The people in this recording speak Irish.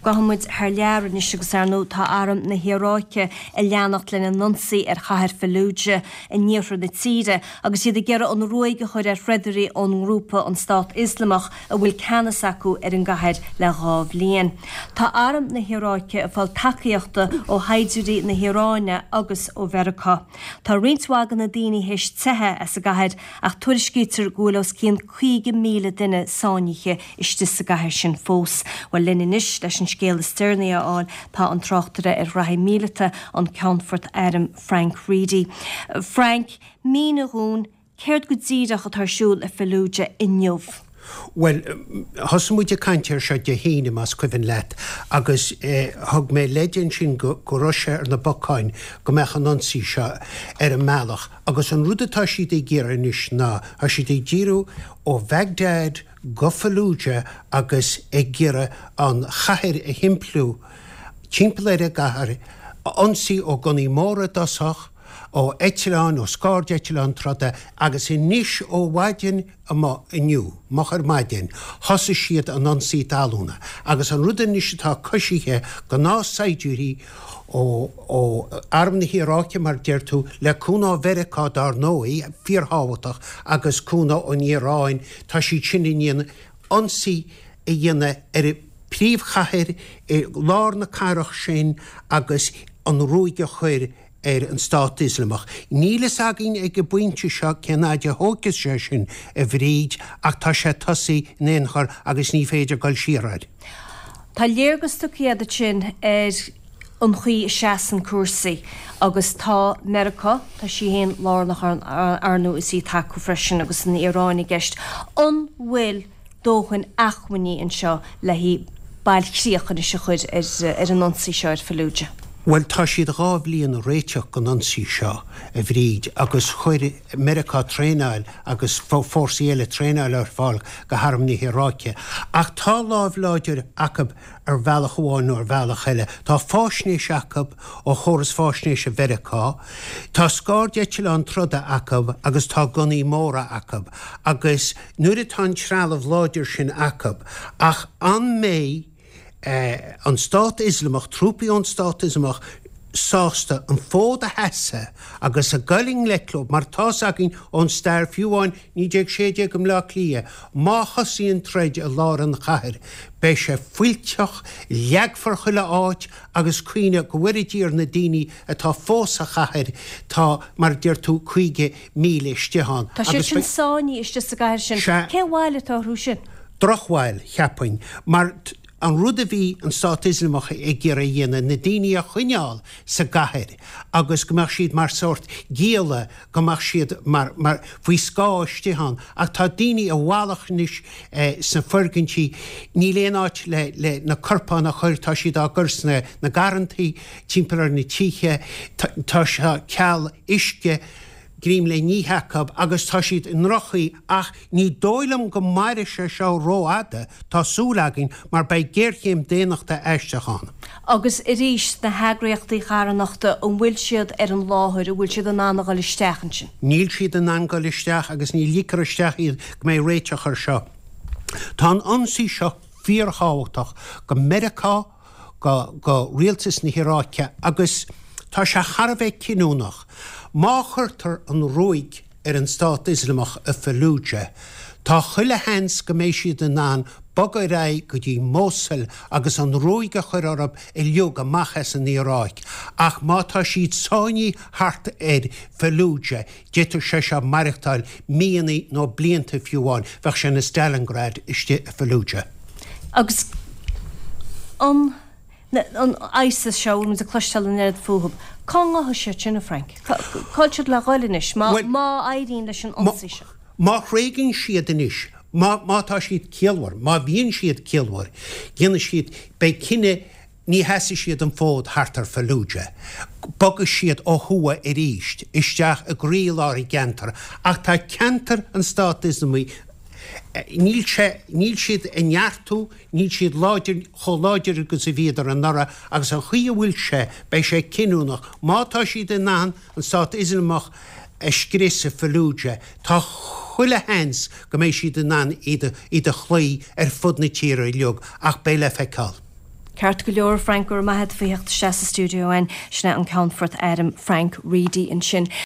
Gabhfaidh muid thar lear anois agus ar ndóigh tá arm na hIaráice ag leanacht lena n-ionsaí ar chathair Fallujah in iarthar na tíre agus iad ag iarraidh an ruaig a chur ar threodairí ón ngrúpa an Stát Ioslamach a bhfuil ceannas acu ar an gcathair le 2 bhliain. Tá arm na hIaráice ag fáil tacaíochta ó shaighdiúirí na hIaráine agus ó Mheiriceá. Tá roinnt mhaith de na daoine théis teitheadh as an gcathair ach tuairiscítear go bhfuil os cionn 50,000 duine sáinnithe istigh sa gcathair sin fós. Bhuel, linn anois leis an scéal is deireanaí a fháil tá an tráchtaire ar ghraithí míleata, an Ceannfort Airm Frank Reidy. Frank, mínigh dhúinn, céard go díreach atá ar siúl i Fallujah inniu? Bhuel, thosaigh muid ag caint air seo Dé hAoine, más cuimhin leat, agus thug mé leid ansin go raibh sé ar na bacáin go mbeadh an ionsaí seo ar an mbealach. Agus an rud atá siad ag iarraidh anois ná, tá siad ag díriú ó Bhagdad go Fallujah agus ag iarraidh an chathair a thimpliú, timpeall ar an gcathair, ionsaí ó gunnaí móra i dtosach, ó eitleáin, ó scairdeitleáin troda agus anois ó mhaidin amuigh inniu, moch ar maidin, thosaigh siad an ionsaí talúna agus an rud anois atá coisithe gnáthshaighdiúirí ó ó Arm na hIaráice mar deir tú, le cúnamh ó Mheiriceá dár ndóigh, fíorthábhachtach, agus cúnamh ón Iaráin, tá siad sin i ndiaidh ionsaí a dhéanamh ar an príomhchathair i lár na cathrach sin agus an ruaig a chur ar an Stát Ioslamach. Níl fhios againn ag an bpointe seo cén fhaid a thógfaidh sé sin, a Bhríd, ach tá sé tosaithe in aon chor agus ní féidir dul siar air. Tá léargas tugtha agat ansin ar an chaoi a seasann cúrsaí agus tá Meiriceá, tá sí féin lárnach ar ndóigh is í ag tacú freisin agus an Iaráin i gceist. An bhfuil dóthain acmhainní anseo le haghaidh bailchríoch anois a chur ar an ionsaí seo ar Fallujah? Bhuel, tá siad 2 bhliain ag réiteach don ionsaí seo, a Bhríd, agus chuir Meiriceá traenáil agus fórsaí eile traenáil ar fáil go harm na hIaráice. Ach tá lámh láidir acu ar bhealach amháin nó ar bhealach eile. Tá fáisnéis acu ó chóras fáisnéise Mheiriceá, tá scairdeitleáin troda acu agus tá gunnaí móra acu. Agus nuair atá an trealamh láidir sin acu, ach an mbeidh an Stát Ioslamach, trúpaí ón Stát Ioslamach, sásta an fód a sheasamh agus a goil i ngleic leo, mar tá's againn ón stair, fiú amháin 1916 i mBleá Cliath, má thosaíonn troid i lár an chathair, beidh sé fuilteach, leagfar chuile áit agus cuimhnigh, go bhfóire Dia ar na daoine atá fós sa chathair, tá, mar a deir tú, 50,000 istigh ann. Tá siad sin sáinnithe istigh sa gcathair sin. Sea. Cén bhail atá orthu sin? Drochbhail, cheapfainn, mar an rud a bhí an Stát Ioslamach ag iarraidh a dhéanamh, na daoine a choinneáil sa gcathair agus go mbeadh siad mar sórt gialla, go mbeadh siad mar, mar, faoi scáth istigh ann. Ach tá daoine i bhfalach anois sna foirgintí, níl aon áit le, le na corpáin a chur, tá siad á gcur sna, na garrantaí timpeall ar na tithe, tá, tá ceal uisce, greim le n-ithe acu agus tá siad i ndroch-chaoi ach ní dóigh liom go mairfidh sé seo rófhada, tá súil againn, mar beidh géarchéim daonnachta aisteach ann. Agus arís, na heagraíochtaí carthanachta, an bhfuil siad ar an láthair, an bhfuil siad in ann a dhul isteach ansin? Níl siad in ann dul isteach agus ní ligfear isteach iad go mbeidh réiteach air seo. Tá an ionsaí seo fíorthábhachtach go Meiriceá, go go rialtas na hIaráice agus tá sé thar a bheith cinniúnach. Má chuirtear an ruaig ar an Stát Ioslamach i Fallujah, tá chuile sheans go mbeidh siad in ann bogadh ar aghaidh go dtí Mosul agus an ruaig a chur orthu uilig amach as an Iaráic. Ach má tá siad sáinnithe thart ar Fallujah, d'fhéadfadh sé seo maireachtáil míonna nó blianta fiú amháin. Bheadh sé ina Stalingrad istigh i Fallujah. Agus an an ISIS seo, a bhfuil muid ag cloisteáil an oiread fúthu, cá ngabhfaidh siad sin, a Frank? Cá bhfuil siad le dhul anois, má má éiríonn leis an ionsaí seo? Má thréigeann siad anois, má má tá siad ciallmhar, má bhíonn siad ciallmhar, déanfaidh siad, beidh cinneadh, ní sheasfaidh siad an fód thart ar Fallujah. Bogfaidh siad ó thuaidh arís, isteach i gcroílár an gceantair. Ach tá ceantar an Stát Ioslamaigh, níl sé, níl siad ag neartú, níl siad láidir, chomh láidir agus a bhíodar anuraidh agus an chaoi a bhfuil sé, beidh sé cinniúnach. Má tá siad in ann an Stát Ioslamach a scrios i Fallujah, tá chuile sheans go mbeidh siad in ann iad a chloí ar fud na tíre uilig, ach beidh le feiceáil. Ceart go leor, Frank, go raibh maith agat faoi theacht isteach sa stiúideo againn. Sin é an Ceannfort Airm Frank Reidy ansin.